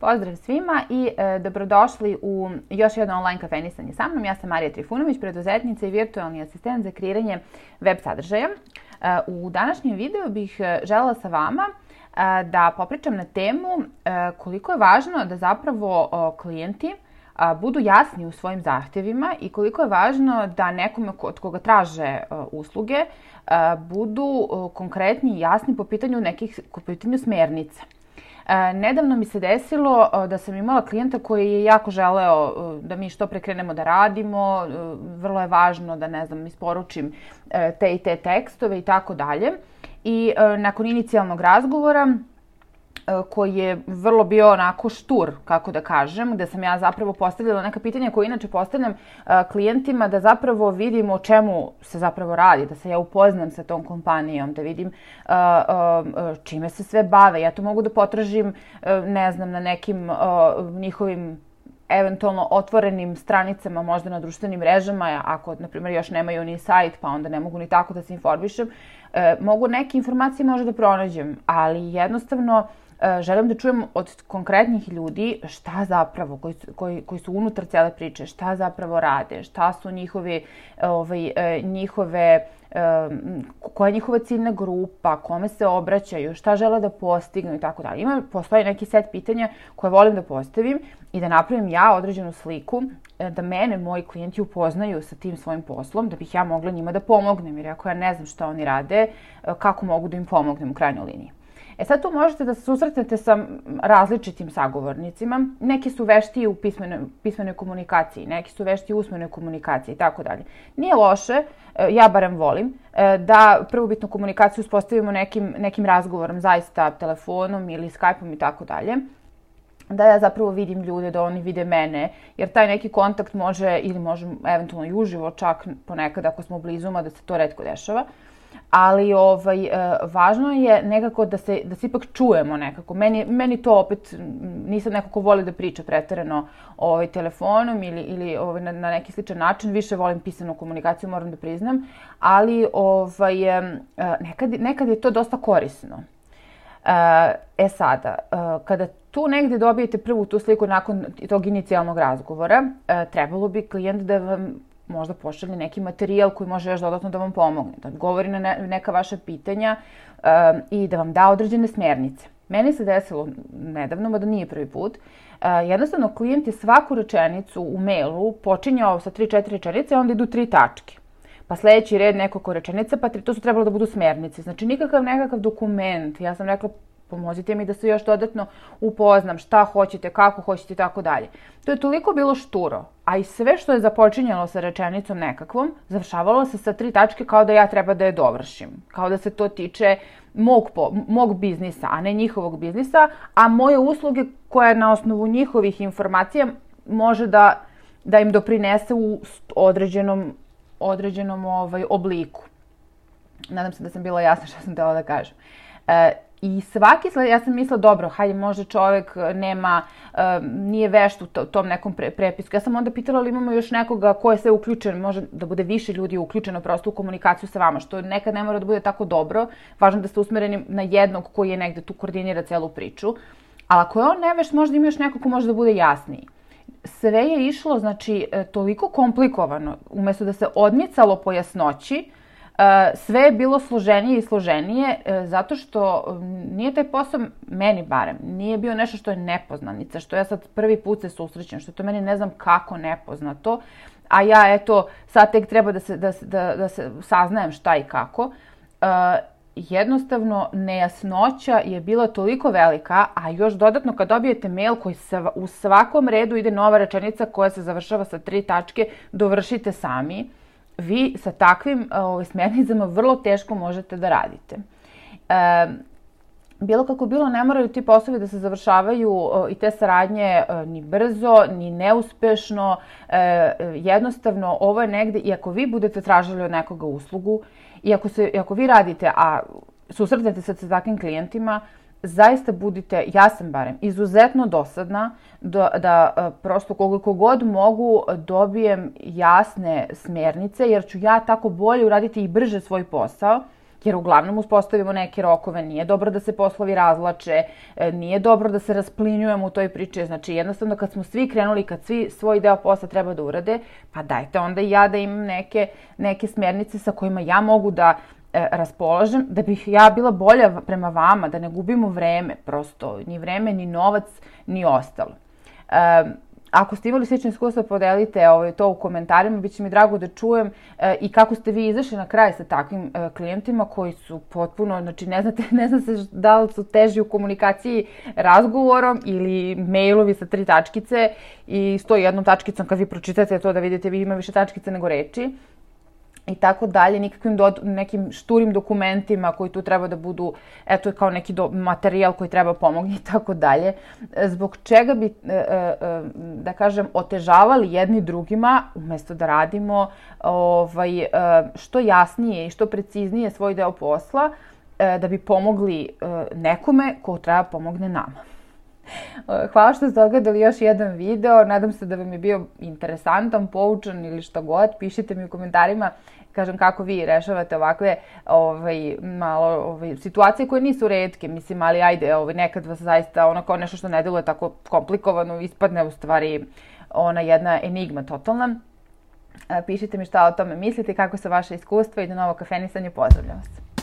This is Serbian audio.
Pozdrav svima i dobrodošli u još jedno online kafenisanje sa mnom. Ja sam Marija Trifunović, preduzetnica i virtualni asistent za kreiranje web sadržaja. U današnjem videu bih želela sa vama da popričam na temu koliko je važno da zapravo klijenti budu jasni u svojim zahtjevima i koliko je važno da nekome od koga traže usluge budu konkretni i jasni po pitanju smjernica. Nedavno mi se desilo da sam imala klijenta koji je jako želeo da mi što pre krenemo da radimo, vrlo je važno da, ne znam, isporučim te i te tekstove i tako dalje. I nakon inicijalnog razgovora, koji je vrlo bio onako štur, kako da kažem, gde sam ja zapravo postavljala neka pitanja koje inače postavljam klijentima, da zapravo vidim o čemu se zapravo radi, da se ja upoznam sa tom kompanijom, da vidim čime se sve bave. Ja to mogu da potražim, ne znam, na nekim njihovim eventualno otvorenim stranicama, možda na društvenim mrežama, ako, na primjer, još nemaju ni sajt, pa onda ne mogu ni tako da se informišem. Mogu neke informacije možda da pronađem, ali jednostavno želim da čujem od konkretnih ljudi šta zapravo, koji su unutar cijele priče, šta zapravo rade, šta su koja je njihova ciljna grupa, kome se obraćaju, šta žele da postignu i tako dalje. Postoji neki set pitanja koje volim da postavim i da napravim ja određenu sliku, da mene moji klijenti upoznaju sa tim svojim poslom, da bih ja mogla njima da pomognem, jer ako ja ne znam šta oni rade, kako mogu da im pomognem u krajnjoj liniji. Sad tu možete da se susretnete sa različitim sagovornicima. Neki su veštiji u pismenoj komunikaciji, neki su veštiji u usmenoj komunikaciji i tako dalje. Nije loše, ja barem volim, da prvobitnu komunikaciju uspostavimo nekim razgovorom, zaista telefonom ili Skype-om i tako dalje. Da ja zapravo vidim ljude, da oni vide mene, jer taj neki kontakt može eventualno i uživo, čak ponekad ako smo blizu, da se to retko dešava. Ali važno je nekako da se ipak čujemo nekako. Meni to opet, nisam neko ko voli da priča preterano telefonom ili na neki sličan način. Više volim pisanu komunikaciju, moram da priznam. Ali nekad je to dosta korisno. Sada, kada tu negdje dobijete prvu tu sliku nakon tog inicijalnog razgovora, trebalo bi klijent da vam možda pošalje neki materijal koji može još dodatno da vam pomogne, da odgovori na neka vaša pitanja i da vam da određene smjernice. Meni se desilo nedavno, mada nije prvi put, jednostavno klijent je svaku rečenicu u mailu počinjao sa 3-4 rečenice, a onda idu 3 tačke. Pa sljedeći red nekoliko rečenica, pa to su trebalo da budu smjernice. Znači nekakav dokument. Ja sam rekla, pomozite mi da se još dodatno upoznam šta hoćete, kako hoćete i tako dalje. To je toliko bilo šturo, a i sve što je započinjalo sa rečenicom nekakvom, završavalo se sa 3 tačke kao da ja treba da je dovršim. Kao da se to tiče mog biznisa, a ne njihovog biznisa, a moje usluge koje na osnovu njihovih informacija može da im doprinese u određenom obliku. Nadam se da sam bila jasna što sam htjela da kažem. I ja sam mislila, dobro, hajde, možda čovjek nije vešt u tom nekom prepisku. Ja sam onda pitala ali imamo još nekoga ko je sve uključen, može da bude više ljudi uključeno prosto u komunikaciju sa vama, što nekad ne mora da bude tako dobro. Važno da ste usmereni na jednog koji je negde tu koordinira celu priču. Ali ako je on nevešt, možda ima još neko ko može da bude jasniji. Sve je išlo, znači, toliko komplikovano, umjesto da se odmicalo po jasnoći, sve je bilo složenije i složenije, zato što nije taj posao, meni barem, nije bio nešto što je nepoznanica, što ja sad prvi put se susrećem, što je to meni ne znam kako nepoznato, a ja sad tek treba da se saznajem šta i kako. Jednostavno, nejasnoća je bila toliko velika, a još dodatno kad dobijete mail koji u svakom redu ide nova rečenica koja se završava sa 3 tačke, dovršite sami. Vi sa takvim smjernicama vrlo teško možete da radite. Bilo kako bilo, ne moraju ti poslovi da se završavaju i te saradnje ni brzo, ni neuspešno. Jednostavno, ovo je negde, i ako vi budete tražili od nekoga uslugu, i ako vi radite, a susretnete se sa takvim klijentima, zaista budite, ja sam barem, izuzetno dosadna da prosto koliko god mogu dobijem jasne smjernice, jer ću ja tako bolje uraditi i brže svoj posao, jer uglavnom uspostavimo neke rokove, nije dobro da se poslovi razvlače, nije dobro da se rasplinjujemo u toj priči, znači jednostavno kad smo svi krenuli, kad svi svoj deo posla treba da urade, pa dajte onda i ja da imam neke smjernice sa kojima ja mogu da raspolažem, da bih ja bila bolja prema vama, da ne gubimo vreme, prosto ni vreme, ni novac, ni ostalo. Ako ste imali slično iskustvo, podelite to u komentarima, bit će mi drago da čujem i kako ste vi izašli na kraj sa takvim klijentima koji su potpuno, znači ne zna se da li su teži u komunikaciji razgovorom ili mailovi sa 3 tačkice i stoji jednom tačkicom kad vi pročitate to da vidite vi ima više tačkice nego reči. I tako dalje, nikakvim nekim šturim dokumentima koji tu treba da budu, eto je kao neki materijal koji treba pomoći i tako dalje. Zbog čega bi, da kažem, otežavali jedni drugima, umjesto da radimo što jasnije i što preciznije svoj deo posla, da bi pomogli nekome ko treba pomogne nama. Hvala što ste ogledali još jedan video, nadam se da vam je bio interesantan, poučan ili što god. Pišite mi u komentarima, kažem kako vi rešavate ovakve situacije koje nisu retke, mislim, ali ajde, nekad vas zaista kao nešto što ne deluje tako komplikovano ispadne u stvari ona jedna enigma totalna. Pišite mi šta o tome mislite, kako su vaše iskustva i do novog kafenisanja, pozdravljam vas.